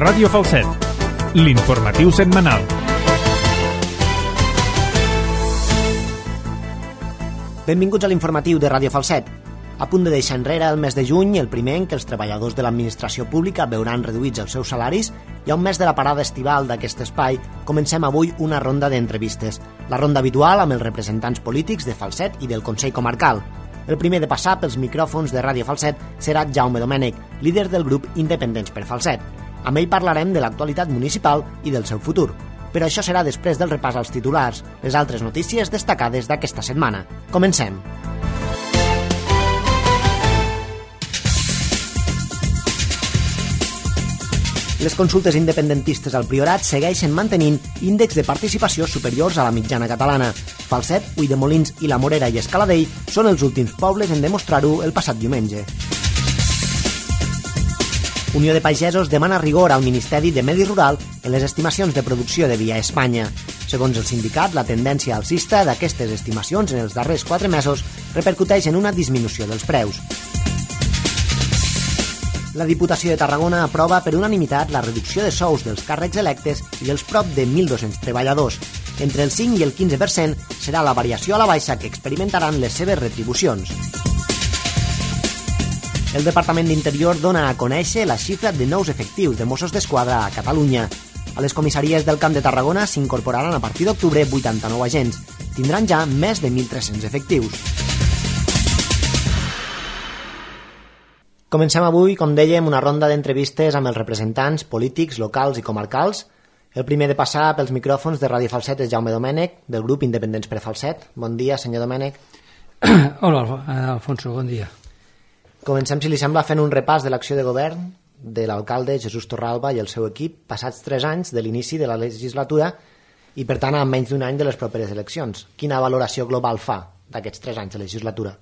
Ràdio Falset, l'informatiu setmanal. Benvinguts a l'informatiu de Ràdio Falset. A punt de deixar enrere el mes de juny, el primer en què els treballadors de l'administració pública veuran reduïts els seus salaris, i a un mes de la parada estival d'aquest espai, comencem avui una ronda d'entrevistes. La ronda habitual amb els representants polítics de Falset i del Consell Comarcal. El primer de passar pels micròfons de Ràdio Falset serà Jaume Domènech, líder del grup Independents per Falset. Amb ell parlarem de l'actualitat municipal i del seu futur. Però això serà després del repàs als titulars, les altres notícies destacades d'aquesta setmana. Comencem. Les consultes independentistes al Priorat segueixen mantenint índexs de participació superiors a la mitjana catalana. Falset, Ulldemolins i la Morera i Escaladell són els últims pobles en demostrar-ho el passat diumenge. Unió de Pagesos demana rigor al Ministeri de Medi Rural en les estimacions de producció de vi a Espanya. Segons el sindicat, la tendència alcista d'aquestes estimacions en els darrers 4 mesos repercuteix en una disminució dels preus. La Diputació de Tarragona aprova per unanimitat la reducció de sous dels càrrecs electes i dels prop de 1.200 treballadors. Entre el 5 i el 15% serà la variació a la baixa que experimentaran les seves retribucions. El Departament d'Interior dona a conèixer la xifra de nous efectius de Mossos d'Esquadra a Catalunya. A les comissaries del Camp de Tarragona s'incorporaran a partir d'octubre 89 agents. Tindran ja més de 1.300 efectius. Comencem avui, com dèiem, una ronda d'entrevistes amb els representants polítics, locals i comarcals. El primer de passar pels micròfons de Ràdio Falset és Jaume Domènech, del grup Independents per Falset. Bon dia, senyor Domènech. Hola, Alfonso, bon dia. Comencem, si li sembla, fent un repàs de l'acció de govern de l'alcalde Jesús Torralba i el seu equip passats 3 anys de l'inici de la legislatura i, per tant, a menys d'un any de les properes eleccions. Quina valoració global fa d'aquests 3 anys de legislatura?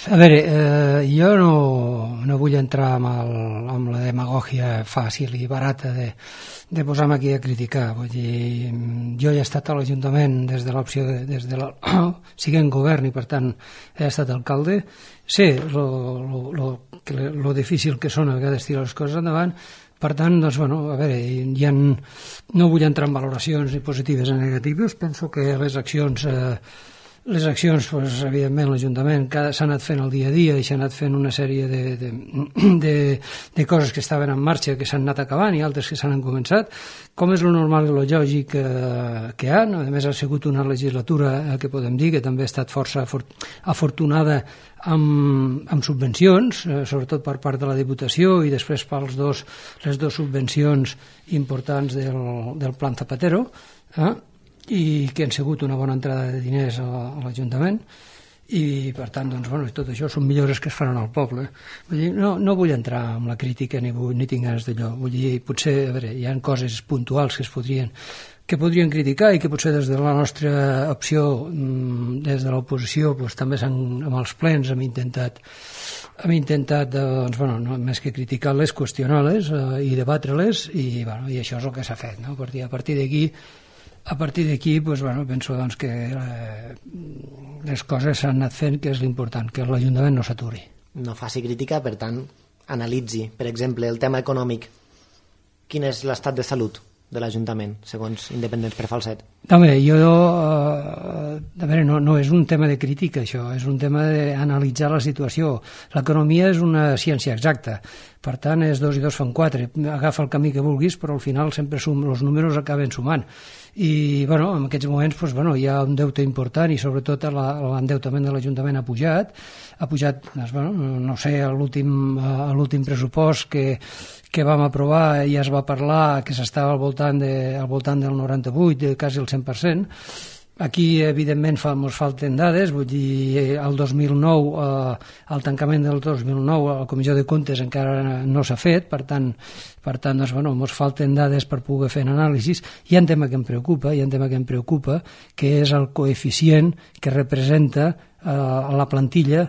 A veure, jo no vull entrar amb la demagògia fàcil i barata de posar-me aquí a criticar. Vull dir, jo he estat a l'Ajuntament des de l'opció siguent govern i per tant he estat alcalde. Sé lo difícil que són a vegades tirar les coses endavant. Per tant, doncs, bueno, a veure, no vull entrar en valoracions ni positives ni negatives. Penso que les accions, doncs, evidentment, l'Ajuntament s'ha anat fent el dia a dia i s'ha anat fent una sèrie de coses que estaven en marxa, que s'han anat acabant i altres que s'han començat, com és lo normal i lo lògic que han. A més, ha sigut una legislatura que podem dir que també ha estat força afortunada amb subvencions, sobretot per part de la Diputació i després per les dues subvencions importants del Plan Zapatero, i que han sigut una bona entrada de diners a l'Ajuntament i per tant, doncs, bueno, tot això són millores que es faran al poble. Vull dir, no vull entrar en la crítica ni tinc ganes d'allò. Vull dir, potser, a veure, hi ha coses puntuals que podrien criticar i que potser des de la nostra opció, des de l'oposició, doncs, també amb els plens hem intentat doncs, bueno, no, més que criticar-les, qüestionar-les i debatre-les i això és el que s'ha fet, no? A partir d'aquí, doncs, bueno, penso doncs, que les coses s'han anat fent, que és l'important, que l'Ajuntament no s'aturi. No faci crítica, per tant, analitzi, per exemple, el tema econòmic. Quin és l'estat de salut de l'Ajuntament, segons Independents per Falset? Home, no és un tema de crítica, això, és un tema d'analitzar la situació. L'economia és una ciència exacta, per tant, és 2 i 2 fan 4. Agafa el camí que vulguis, però al final sempre els números acaben sumant. I bueno, en aquests moments doncs, bueno, hi ha un deute important i sobretot l'endeutament de l'Ajuntament ha pujat doncs, bueno, no sé, a l'últim pressupost que vam aprovar ja es va parlar que s'estava al voltant del 98, quasi el 100%. Aquí, evidentment, ens falten dades, vull dir, el 2009, el tancament del 2009, la Comissió de Comptes encara no s'ha fet, per tant, doncs, bueno, ens falten dades per poder fer anàlisis. Hi ha un tema que em preocupa, que és el coeficient que representa la plantilla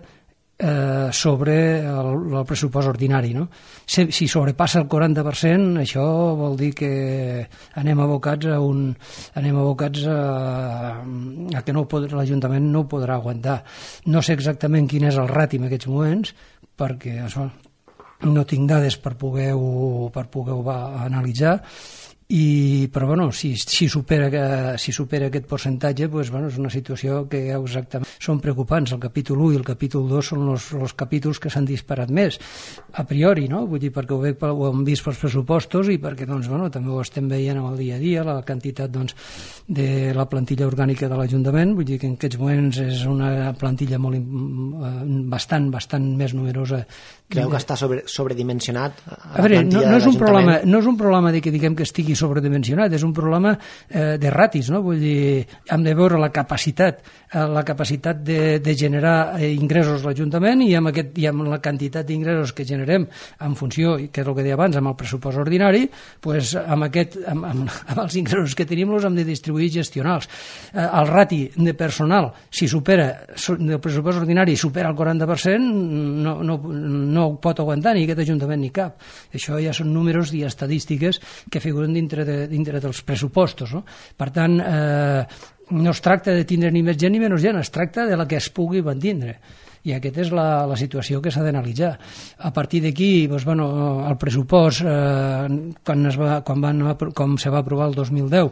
sobre el pressupost ordinari, no? Si sobrepassa el 40%, això vol dir que anem abocats a que l'Ajuntament no ho podrà aguantar. No sé exactament quin és el rati en aquests moments, perquè això no tinc dades per poder-ho analitzar, però bueno, si supera aquest percentatge, doncs, bueno, és una situació que exactament són preocupants. El capítol 1 i el capítol 2 són els capítols que s'han disparat més a priori, no? Vull dir, perquè ho hem vist pels pressupostos i perquè doncs, bueno, també ho estem veient amb el dia a dia, la quantitat doncs, de la plantilla orgànica de l'Ajuntament. Vull dir que en aquests moments és una plantilla bastant més numerosa. Creu que està sobredimensionat? A veure, no és un problema de que diguem que estigui sobredimensionat, és un problema de ratis, no? Vull dir, hem de veure la capacitat de generar ingressos l'Ajuntament i amb la quantitat d'ingressos que generem en funció, que és el que deia abans, amb el pressupost ordinari, doncs amb els ingressos que tenim els hem de distribuir i gestionar-los. El rati de personal, si supera el pressupost ordinari supera el 40%, no ho pot aguantar ni aquest Ajuntament ni cap. Això ja són números i estadístiques que figuren dintre dels pressupostos, no? Per tant, no es tracta de tindre ni més gent ni menys gent, es tracta de la que es pugui mantindre. I aquesta és la situació que s'ha d'analitzar. A partir d'aquí, doncs, bueno, el pressupost, com se va aprovar el 2010,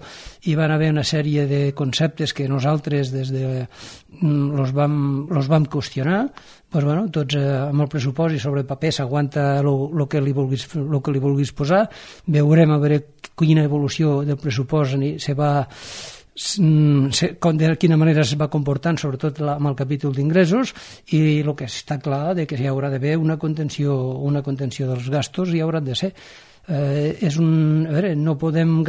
hi van haver una sèrie de conceptes que nosaltres los vam qüestionar. Doncs, bueno, tots amb el pressupost i sobre paper s'aguanta el que li vulguis posar. Veurem a veure quina evolució del pressupost de quina manera es va comportant, sobretot amb el capítol d'ingressos, i el que està clar de que hi haurà d'haver una contenció dels gastos, hi haurà de ser. No podem,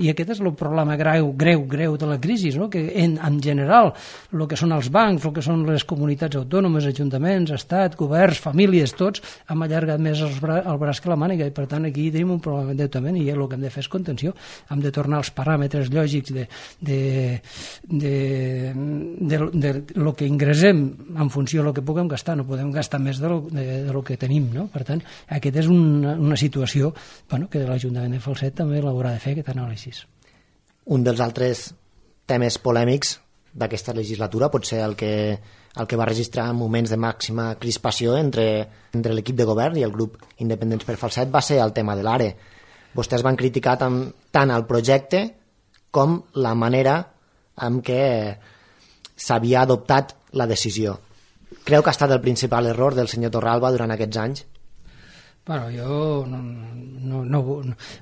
i aquest és el problema greu de la crisi, no? Que en general el que són els bancs, el que són les comunitats autònomes, ajuntaments, estat, governs, famílies, tots hem allargat més el braç que la màniga, i per tant aquí tenim un problema d'endeutament i el que hem de fer és contenció. Hem de tornar als paràmetres lògics de lo que ingressem en funció del que puguem gastar. No podem gastar més de lo que tenim, no? Per tant, aquesta és una situació que l'Ajuntament de Falset també l'haurà de fer, aquest anàlisi. Un dels altres temes polèmics d'aquesta legislatura pot ser el que va registrar moments de màxima crispació entre l'equip de govern i el grup Independents per Falset va ser el tema de l'ARE. Vostès van criticar tant el projecte com la manera en què s'havia adoptat la decisió. Creu que ha estat el principal error del senyor Torralba durant aquests anys? Bueno, jo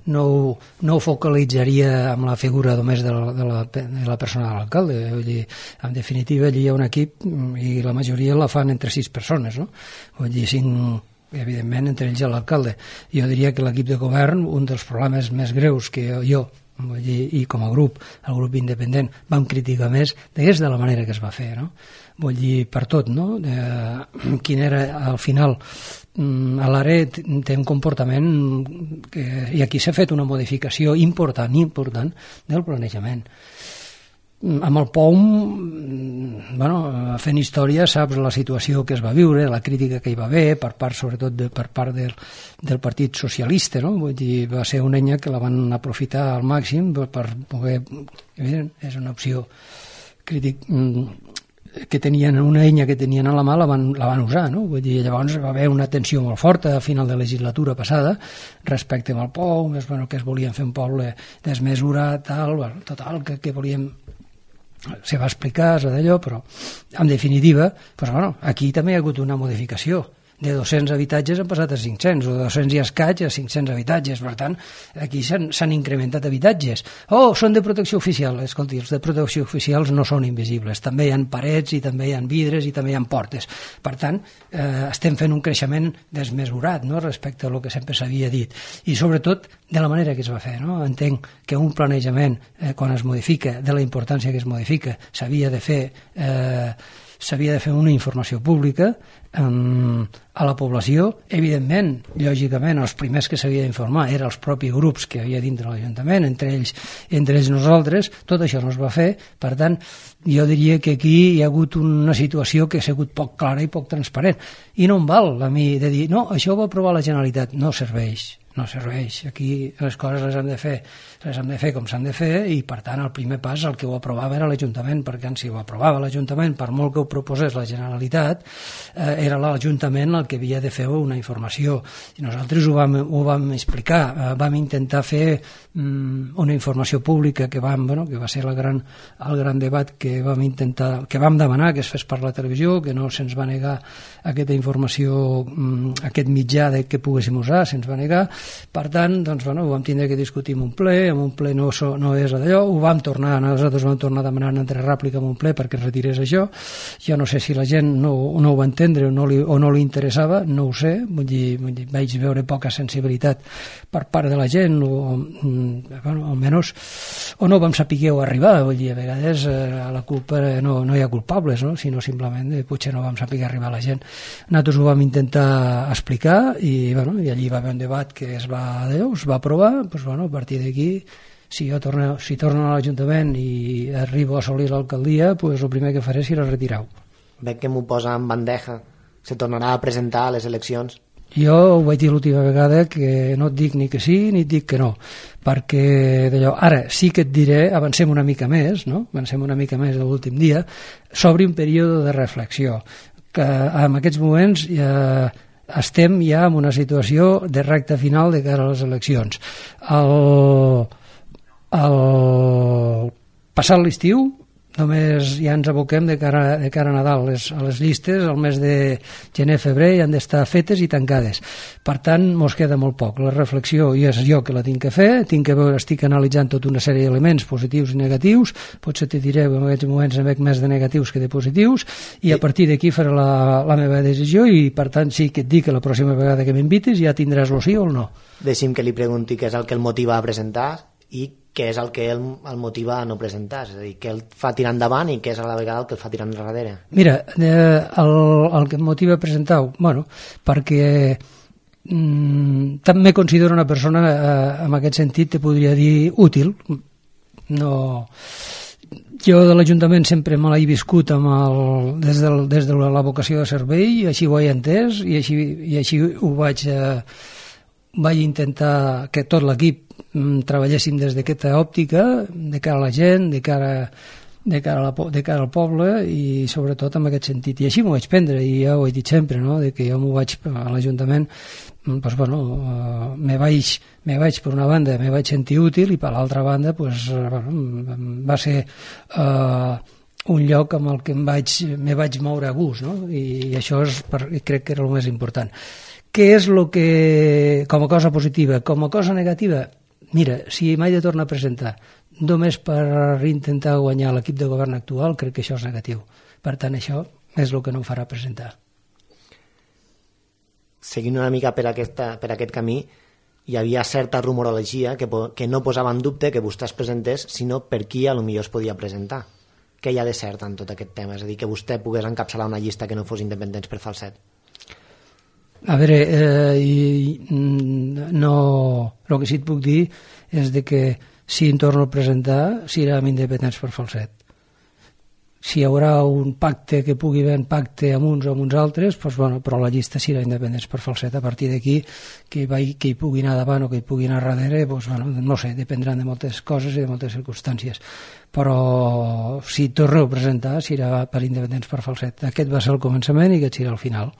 no ho focalitzaria amb la figura només de la persona de l'alcalde. Vull dir, en definitiva, allí hi ha un equip i la majoria la fan entre 6 persones, no? Vull dir, 5, evidentment, entre ells i l'alcalde. Jo diria que l'equip de govern, un dels problemes més greus que jo, vull dir, i com a grup, el grup independent, vam criticar més és de la manera que es va fer, no? Vull dir, per tot, no? Quin era, al final, a l'ARE té un comportament i aquí s'ha fet una modificació important del planejament. Amb el POUM, fent història, saps la situació que es va viure, la crítica que hi va haver, sobretot per part del Partit Socialista, no? Vull dir, va ser una eina que la van aprofitar al màxim per poder... És una opció crítica que tenien, una eina que tenien a la mà la van usar, no? Vull dir, llavors va haver una tensió molt forta a final de legislatura passada respecte al POUM, que es volien fer un poble desmesurat, total, que volíem... Se va explicar, d'allò, però en definitiva, aquí també hi ha hagut una modificació. De 200 habitatges han passat a 500, o de 200 i escaig a 500 habitatges. Per tant, aquí s'han incrementat habitatges. Són de protecció oficial. Escolti, els de protecció oficials no són invisibles. També hi ha parets, i també hi ha vidres, i també hi ha portes. Per tant, estem fent un creixement desmesurat, no?, respecte a lo que sempre s'havia dit. I sobretot, de la manera que es va fer, no? Entenc que un planejament, quan es modifica, de la importància que es modifica, s'havia de fer una informació pública a la població. Evidentment, lògicament, els primers que s'havia d'informar eren els propis grups que hi havia dintre l'Ajuntament, entre ells nosaltres. Tot això no es va fer. Per tant, jo diria que aquí hi ha hagut una situació que ha sigut poc clara i poc transparent. I no em val a mi de dir, no, això ho va aprovar la Generalitat. No serveix. no serveix. Aquí les coses les hem de fer com s'han de fer, i per tant el primer pas el que ho aprovava era l'Ajuntament, perquè si ho aprovava l'Ajuntament, per molt que ho proposés la Generalitat, era l'Ajuntament el que havia de fer una informació, i nosaltres ho vam explicar, vam intentar fer una informació pública que va ser el gran debat que vam demanar que es fes per la televisió, que no se'ns va negar aquesta informació, aquest mitjà que poguéssim usar, se'ns va negar. Per tant, ho vam tindre que discutir en un ple no és d'allò, nosaltres vam tornar a demanar una altra rèplica en un ple perquè es retirés això. Jo no sé si la gent no ho va entendre o no li interessava, no ho sé, vaig veure poca sensibilitat per part de la gent, almenys, o no vam saber arribar, a vegades a la culpa no hi ha culpables, sinó simplement potser no vam saber arribar a la gent. Nosaltres ho vam intentar explicar i allí va haver un debat que es va aprovar. A partir d'aquí, si torno a l'Ajuntament i arribo a assolir l'alcaldia, el primer que faré serà retirar-ho. Veig que m'ho posa en bandeja. Se tornarà a presentar a les eleccions? Jo ho vaig dir l'última vegada, que no et dic ni que sí ni et dic que no, perquè d'allò, ara sí que et diré, avancem una mica més de l'últim dia, s'obre un període de reflexió, que en aquests moments estem ja en una situació de recta final de cara a les eleccions. Passat l'estiu només ja ens aboquem de cara a Nadal. A les llistes el mes de gener-febrer ja han d'estar fetes i tancades. Per tant, mos queda molt poc. La reflexió ja és jo que la tinc que fer, estic analitzant tota una sèrie d'elements positius i negatius, potser te diré que en aquests moments en veig més de negatius que de positius, i a partir d'aquí faré la meva decisió, i per tant sí que et dic que la pròxima vegada que m'invitis ja tindràs el sí o el no. Deixi'm que li pregunti què és el que el motiva a presentar i què és el que el motiva a no presentar, és a dir, què el fa tirar endavant i què és a la vegada el que el fa tirar enrere. Mira, el que em motiva a presentar-ho, perquè també considero una persona, en aquest sentit te podria dir útil. Jo de l'Ajuntament sempre me l'he viscut des de la vocació de servei, i així ho he entès, i així ho vaig intentar que tot l'equip treballéssim des d'aquesta òptica, de cara a la gent, de cara al poble, i sobretot en aquest sentit. I així m'ho vaig prendre, i ja ho he dit sempre, que jo m'ho vaig a l'Ajuntament, me vaig per una banda, me vaig sentir útil, i per l'altra banda va ser un lloc amb el que me vaig moure a gust, i això crec que era el més important. Què és el que, com a cosa positiva? Com a cosa negativa, mira, si m'he de tornar a presentar només per intentar guanyar l'equip de govern actual, crec que això és negatiu. Per tant, això és el que no em farà presentar. Seguint una mica per aquest camí, hi havia certa rumorologia que no posava en dubte que vostè es presentés, sinó per qui potser es podia presentar. Què hi ha de cert en tot aquest tema? És a dir, que vostè pogués encapçalar una llista que no fos independents per Falset. A veure, el que sí et puc dir és que si em torno a presentar serem independents per Falset. Si hi haurà un pacte, que pugui haver un pacte amb uns o amb uns altres, però la llista serà independents per Falset. A partir d'aquí, que hi pugui anar davant o que hi pugui anar darrere, no sé, dependran de moltes coses i de moltes circumstàncies. Però si torno a presentar serà per independents per Falset. Aquest va ser el començament i aquest serà el final.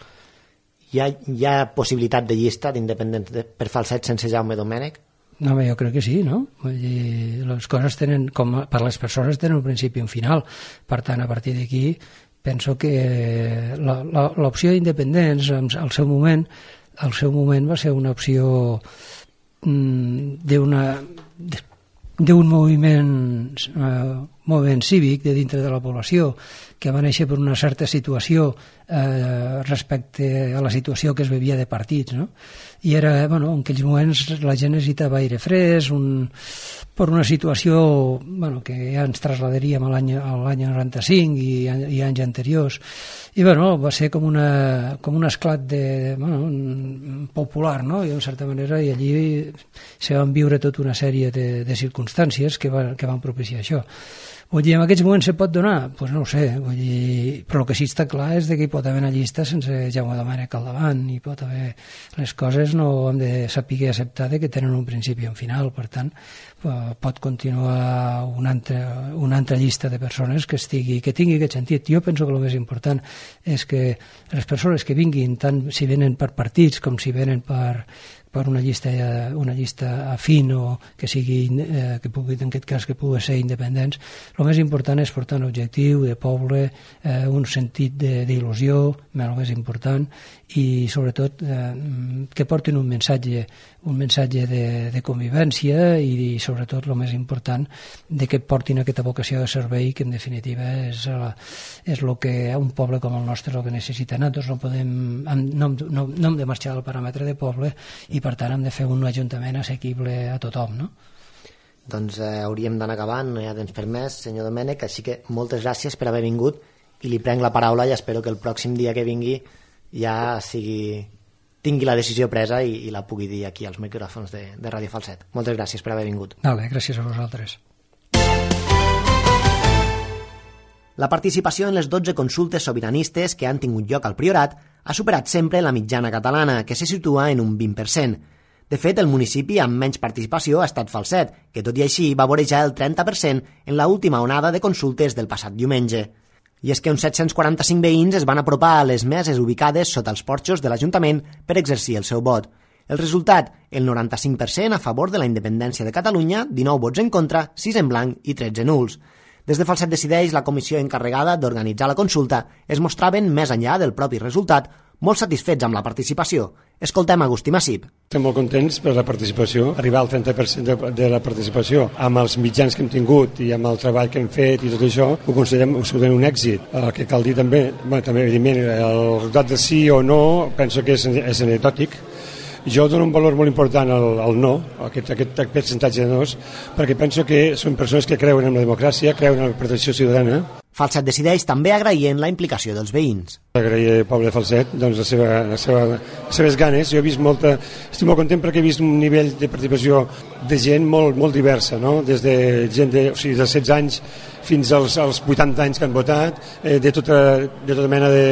Hi ha possibilitat de llista d'independents per Falset sense Jaume Domènech? No, jo crec que sí, no? Vull dir, les coses tenen, com per les persones, tenen un principi i un final. Per tant, a partir d'aquí, penso que l'opció d'independents, al seu moment va ser una opció d'un moviment cívic de dintre de la població, que va néixer per una certa situació respecte a la situació que es vivia de partits, no? I era, en aquells moments la gent necessitava aire fresc, per una situació que ja ens trasladaríem a l'any 95 i anys anteriors, i va ser com un esclat popular, no? I en certa manera, i allí se van viure tota una sèrie de circumstàncies que van propiciar això. Vull dir, en aquests moments se pot donar? Doncs no ho sé, vull dir, però el que sí està clar és que hi pot haver una llista sense Jaume Domènech al davant, hi pot haver... Les coses no hem de saber acceptar que tenen un principi i un final, per tant, pot continuar una altra llista de persones que tingui aquest sentit. Jo penso que el més important és que les persones que vinguin, tant si venen per partits com si venen per una llista afín o que sigui, que pugui, en aquest cas, que pugui ser independents, el més important és portar un objectiu de poble, un sentit d'il·lusió, el més important, i sobretot que portin un missatge de convivència i sobretot el més important de que portin aquesta vocació de servei que en definitiva és el que un poble com el nostre el que necessita. Nosaltres no hem de marxar al paràmetre de poble i per tant hem de fer un ajuntament assequible a tothom, no? Doncs hauríem d'anar acabant, no hi ha temps per més, senyor Domènech, així que moltes gràcies per haver vingut i li prenc la paraula i espero que el pròxim dia que vingui ja tingui la decisió presa i la pugui dir aquí als micròfons de Ràdio Falset. Moltes gràcies per haver vingut. Vale, gràcies a vosaltres. La participació en les 12 consultes sobiranistes que han tingut lloc al Priorat ha superat sempre la mitjana catalana, que se situa en un 20%. De fet, el municipi amb menys participació ha estat Falset, que tot i així va vorejar el 30% en l'última onada de consultes del passat diumenge. I és que uns 745 veïns es van apropar a les meses ubicades sota els porxos de l'Ajuntament per exercir el seu vot. El resultat, el 95% a favor de la independència de Catalunya, 19 vots en contra, 6 en blanc i 13 nuls. Des de Falset Decideix, la comissió encarregada d'organitzar la consulta, es mostraven, més enllà del propi resultat, molt satisfets amb la participació. Escoltem Agustí Massip. Estem molt contents per la participació. Arribar al 30% de la participació amb els mitjans que hem tingut i amb el treball que hem fet i tot això, ho considerem absolutament un èxit. El que cal dir també evidentment, el resultat de sí o no penso que és anecdòtic. Jo dono un valor molt important al no, aquest percentatge de nos, perquè penso que són persones que creuen en la democràcia, creuen en la protecció ciutadana. Falset Decideix també agraient la implicació dels veïns. Agrair al poble de Falset doncs, les seves ganes. Jo he vist estic molt content perquè he vist un nivell de participació de gent molt diversa, no? Des de gent de 16 anys fins als 80 anys que han votat, de tota mena de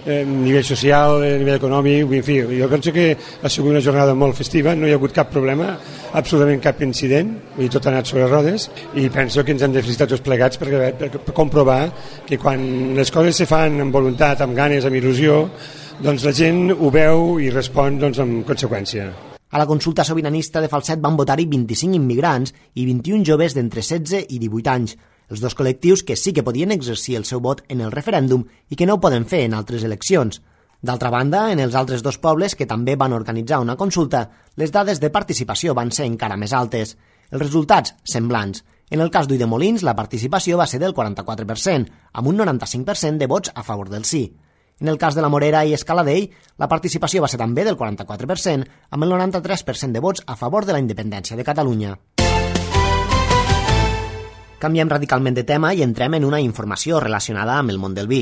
nivell social, nivell econòmic, en fi, jo penso que ha sigut una jornada molt festiva, no hi ha hagut cap problema, absolutament cap incident, i tot ha anat sobre rodes, i penso que ens hem de felicitar tots plegats per comprovar que quan les coses se fan amb voluntat, amb ganes, amb il·lusió, doncs la gent ho veu i respon doncs, amb conseqüència. A la consulta sobiranista de Falset van votar-hi 25 immigrants i 21 joves d'entre 16 i 18 anys, els dos col·lectius que sí que podien exercir el seu vot en el referèndum i que no ho poden fer en altres eleccions. D'altra banda, en els altres dos pobles que també van organitzar una consulta, les dades de participació van ser encara més altes. Els resultats, semblants. En el cas d'Ulldemolins, la participació va ser del 44%, amb un 95% de vots a favor del sí. En el cas de la Morera i Escaladell, la participació va ser també del 44%, amb el 93% de vots a favor de la independència de Catalunya. Canviem radicalment de tema i entrem en una informació relacionada amb el món del vi.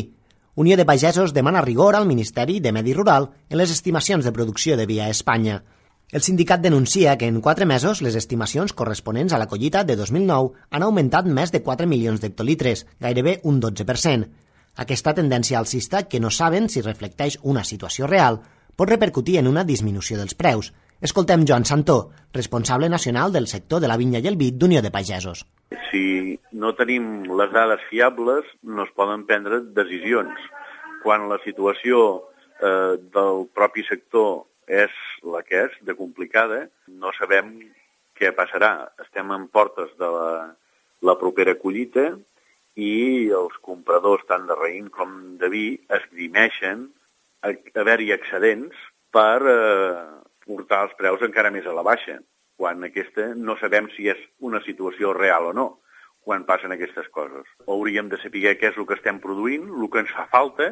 Unió de Pagesos demana rigor al Ministeri de Medi Rural en les estimacions de producció de vi a Espanya. El sindicat denuncia que en 4 mesos les estimacions corresponents a la collita de 2009 han augmentat més de 4 milions d'hectolitres, gairebé un 12%. Aquesta tendència alcista, que no saben si reflecteix una situació real, pot repercutir en una disminució dels preus. Escoltem Joan Santó, responsable nacional del sector de la vinya i el vi d'Unió de Pagesos. Si no tenim les dades fiables, no es poden prendre decisions. Quan la situació del propi sector és la que és, de complicada, no sabem què passarà. Estem en portes de la propera collita i els compradors, tant de raïm com de vi, esgrimeixen haver-hi excedents per portar els preus encara més a la baixa, quan aquesta no sabem si és una situació real o no, quan passen aquestes coses. Hauríem de saber què és el que estem produint, el que ens fa falta,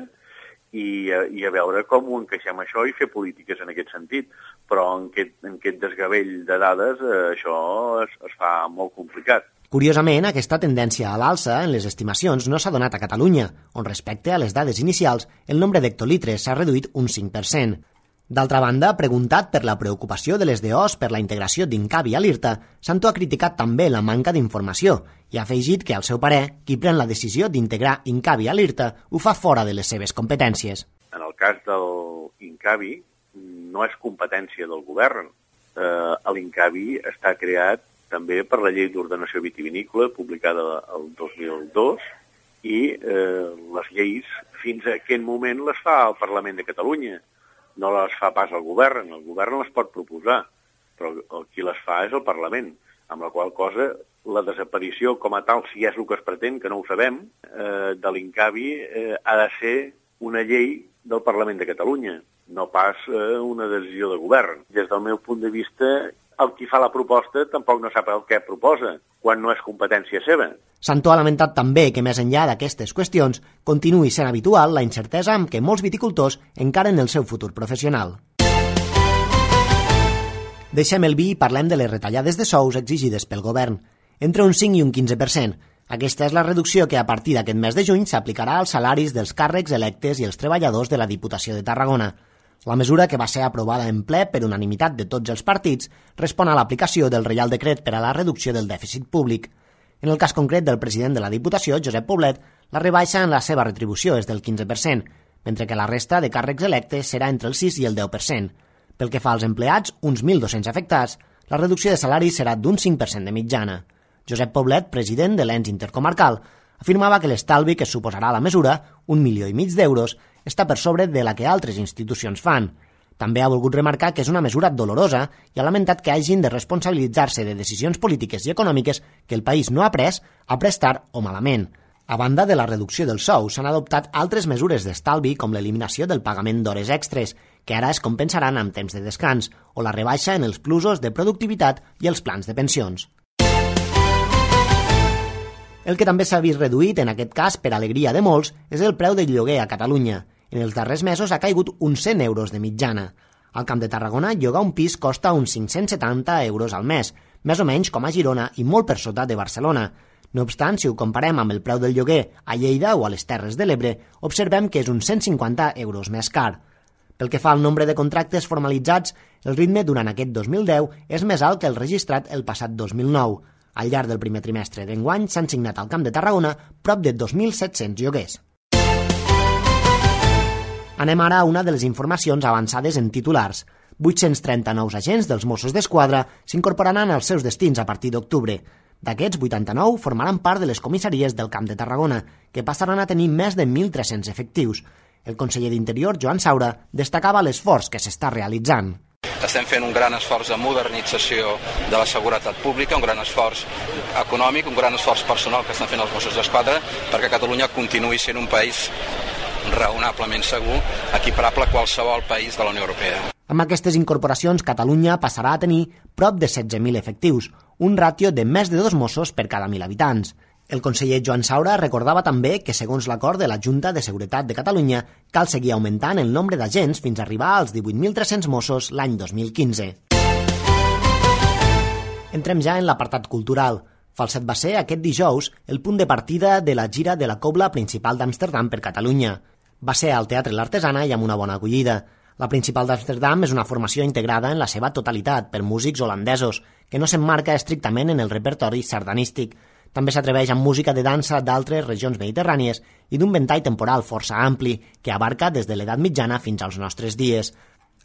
i a veure com ho encaixem això i fer polítiques en aquest sentit. Però en aquest desgavell de dades això es fa molt complicat. Curiosament, aquesta tendència a l'alça en les estimacions no s'ha donat a Catalunya, on respecte a les dades inicials el nombre d'hectolitres s'ha reduït un 5%. D'altra banda, preguntat per la preocupació de les DOs per la integració d'Incavi a l'IRTA, Santó ha criticat també la manca d'informació i ha afegit que, al seu parer, qui pren la decisió d'integrar Incavi a l'IRTA ho fa fora de les seves competències. En el cas del Incavi, no és competència del govern. L'Incavi està creat també per la Llei d'Ordenació Vitivinícola, publicada el 2002, i les lleis, fins a aquest moment, les fa el Parlament de Catalunya. No les fa pas el govern les pot proposar, però qui les fa és el Parlament, amb la qual cosa la desaparició com a tal, si és el que es pretén, que no ho sabem, de l'Incavi ha de ser una llei del Parlament de Catalunya, no pas una decisió de govern. Des del meu punt de vista, el qui fa la proposta tampoc no sap el que proposa, quan no és competència seva. Santó ha lamentat també que, més enllà d'aquestes qüestions, continuï sent habitual la incertesa amb què molts viticultors encaren el seu futur professional. Deixem el vi i parlem de les retallades de sous exigides pel govern, entre un 5 i un 15%. Aquesta és la reducció que a partir d'aquest mes de juny s'aplicarà als salaris dels càrrecs electes i els treballadors de la Diputació de Tarragona. La mesura, que va ser aprovada en ple per unanimitat de tots els partits, respon a l'aplicació del Reial Decret per a la reducció del dèficit públic. En el cas concret del president de la Diputació, Josep Poblet, la rebaixa en la seva retribució és del 15%, mentre que la resta de càrrecs electes serà entre el 6 i el 10%. Pel que fa als empleats, uns 1.200 afectats, la reducció de salari serà d'un 5% de mitjana. Josep Poblet, president de l'ens intercomarcal, afirmava que l'estalvi que suposarà la mesura, 1,5 milions d'euros, està per sobre de la que altres institucions fan. També ha volgut remarcar que és una mesura dolorosa i ha lamentat que hagin de responsabilitzar-se de decisions polítiques i econòmiques que el país no ha pres, tard o malament. A banda de la reducció del sou, s'han adoptat altres mesures d'estalvi com l'eliminació del pagament d'hores extres, que ara es compensaran amb temps de descans, o la rebaixa en els plusos de productivitat i els plans de pensions. El que també s'ha vist reduït, en aquest cas per alegria de molts, és el preu del lloguer a Catalunya. En els darrers mesos ha caigut uns 100 euros de mitjana. Al Camp de Tarragona, llogar un pis costa uns 570 euros al mes, més o menys com a Girona i molt per sota de Barcelona. No obstant, si ho comparem amb el preu del lloguer a Lleida o a les Terres de l'Ebre, observem que és uns 150 euros més car. Pel que fa al nombre de contractes formalitzats, el ritme durant aquest 2010 és més alt que el registrat el passat 2009. Al llarg del primer trimestre d'enguany s'han signat al Camp de Tarragona prop de 2.700 lloguers. Anem ara a una de les informacions avançades en titulars. 830 nous agents dels Mossos d'Esquadra s'incorporaran als seus destins a partir d'octubre. D'aquests, 89 formaran part de les comissaries del Camp de Tarragona, que passaran a tenir més de 1.300 efectius. El conseller d'Interior, Joan Saura, destacava l'esforç que s'està realitzant. Estem fent un gran esforç de modernització de la seguretat pública, un gran esforç econòmic, un gran esforç personal que estan fent els Mossos d'Esquadra perquè Catalunya continuï sent un país raonablement segur, equiparable a qualsevol país de la Unió Europea. Amb aquestes incorporacions, Catalunya passarà a tenir prop de 16.000 efectius, un ràtio de més de 2 Mossos per cada 1.000 habitants. El conseller Joan Saura recordava també que, segons l'acord de la Junta de Seguretat de Catalunya, cal seguir augmentant el nombre d'agents fins a arribar als 18.300 Mossos l'any 2015. Entrem ja en l'apartat cultural. Falset va ser aquest dijous el punt de partida de la gira de la Cobla Principal d'Amsterdam per Catalunya. Va ser al Teatre L'Artesana i amb una bona acollida. La Principal d'Amsterdam és una formació integrada en la seva totalitat per músics holandesos, que no s'emmarca estrictament en el repertori sardanístic. També s'atreveix amb música de dansa d'altres regions mediterrànies i d'un ventall temporal força ampli, que abarca des de l'edat mitjana fins als nostres dies.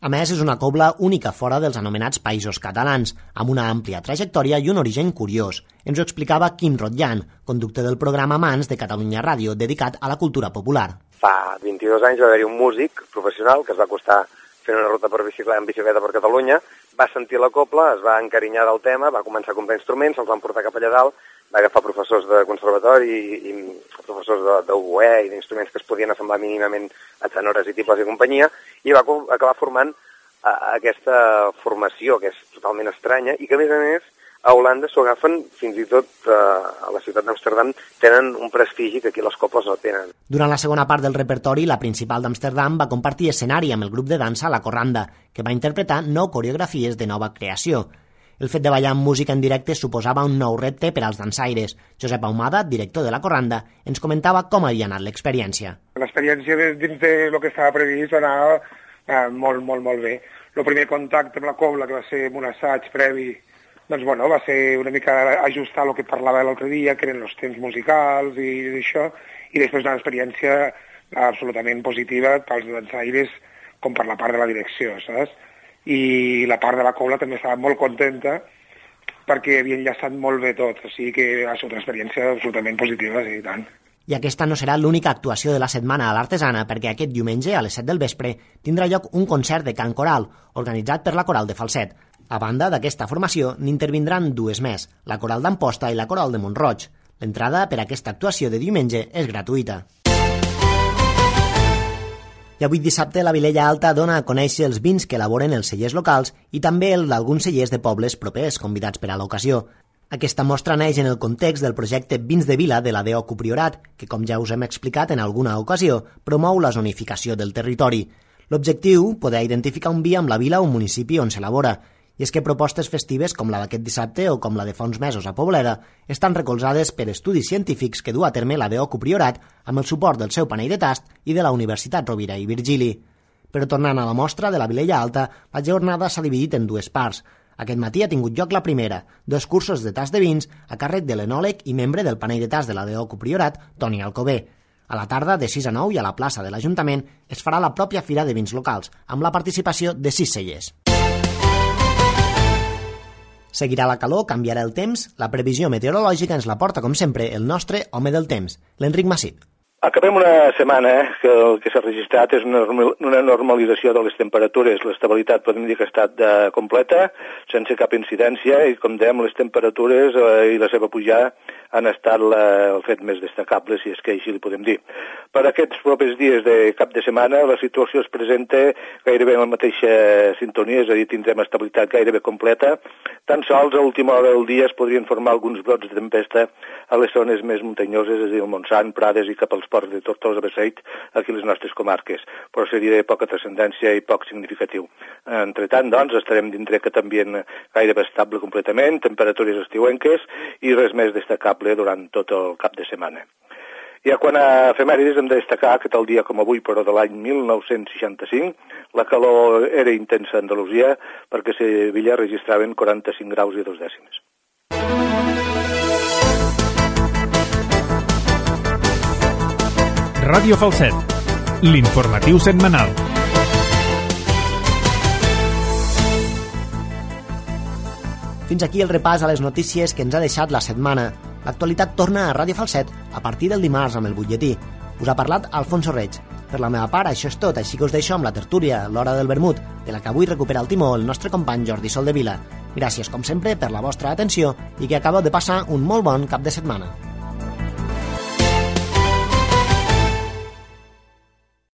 A més, és una cobla única fora dels anomenats països catalans, amb una àmplia trajectòria i un origen curiós. Ens ho explicava Quim Rotllán, conductor del programa Mans de Catalunya Ràdio, dedicat a la cultura popular. Fa 22 anys va haver-hi un músic professional que es va acostar fent una ruta en bicicleta per Catalunya, va sentir la cobla, es va encarinyar del tema, va començar a comprar instruments, els van portar cap allà dalt, va agafar professors de conservatori i professors d'oboè i d'instruments que es podien assemblar mínimament a tenores i tibles i companyia, i va acabar formant aquesta formació que és totalment estranya i que, a més, a Holanda s'ho agafen, fins i tot a la ciutat d'Amsterdam, tenen un prestigi que aquí les cobles no tenen. Durant la segona part del repertori, la Principal d'Amsterdam va compartir escenari amb el grup de dansa La Corranda, que va interpretar 9 coreografies de nova creació. El fet de ballar amb música en directe suposava un nou repte per als dansaires. Josep Ahumada, director de La Corranda, ens comentava com havia anat l'experiència. L'experiència dins de lo que estava previst va anar molt bé. El primer contacte amb la cobla, que va ser un assaig previ, doncs bueno, va ser una mica ajustar el que parlava l'altre dia, que eren els temps musicals i això, i després una experiència absolutament positiva pels dansaires com per la part de la direcció, saps? I la part de la cobla també estava molt contenta perquè havia enllaçat molt bé tot, o sigui que ha sigut una experiència absolutament positiva, sí, i tant. I aquesta no serà l'única actuació de la setmana a l'Artesana, perquè aquest diumenge, a les 7 del vespre, tindrà lloc un concert de cant coral, organitzat per la Coral de Falset. A banda d'aquesta formació, n'intervindran dues més, la Coral d'Amposta i la Coral de Mont-roig. L'entrada per a aquesta actuació de diumenge és gratuïta. I avui dissabte la Vilella Alta dona a conèixer els vins que elaboren els cellers locals i també el d'alguns cellers de pobles propers convidats per a l'ocasió. Aquesta mostra neix en el context del projecte Vins de Vila de la DO Priorat, que, com ja us hem explicat en alguna ocasió, promou la zonificació del territori. L'objectiu, poder identificar un vi amb la vila o municipi on s'elabora, i és que propostes festives com la d'aquest dissabte o com la de fa uns mesos a Pobleda estan recolzades per estudis científics que du a terme la DO Priorat amb el suport del seu panell de tast i de la Universitat Rovira i Virgili. Però tornant a la mostra de la Vilella Alta, la jornada s'ha dividit en dues parts. Aquest matí ha tingut lloc la primera, 2 cursos de tast de vins a càrrec de l'enòleg i membre del panell de tast de la DO Priorat, Toni Alcover. A la tarda, de 6 a 9 i a la plaça de l'Ajuntament, es farà la pròpia fira de vins locals, amb la participació de 6 cellers. Seguirà la calor, canviarà el temps, la previsió meteorològica ens la porta, com sempre, el nostre home del temps, l'Enric Massip. Acabem una setmana que el que s'ha registrat és una normalització de les temperatures. L'estabilitat podem dir que ha estat completa, sense cap incidència, i com dèiem, les temperatures i la seva pujada han estat el fet més destacable, si és que així li podem dir. Per aquests propers dies de cap de setmana la situació es presenta gairebé en la mateixa sintonia, és a dir, tindrem estabilitat gairebé completa. Tan sols a última hora del dia es podrien formar alguns brots de tempesta a les zones més muntanyoses, és a dir, el Montsant, Prades i cap als ports de Tortosa, Beseit, aquí a les nostres comarques, però seria de poca transcendència i poc significatiu. Entretant, doncs, estarem dintre aquest ambient gairebé estable completament, temperatures estiuenques i res més destacable durant tot el cap de setmana. Ja quan a efemèrides hem de destacar que tal dia com avui, però de l'any 1965, la calor era intensa a Andalusia perquè a Sevilla registraven 45 graus i 2 dècimes. Ràdio Falset, l'informatiu setmanal. Fins aquí el repàs a les notícies que ens ha deixat la setmana. L'actualitat torna a Ràdio Falset a partir del dimarts amb el butlletí. Us ha parlat Alfonso Reig. Per la meva part, això és tot, així que us deixo amb la tertúlia, l'hora del vermut, de la que avui recupera el timó el nostre company Jordi Soldevila. Gràcies, com sempre, per la vostra atenció i que acabeu de passar un molt bon cap de setmana.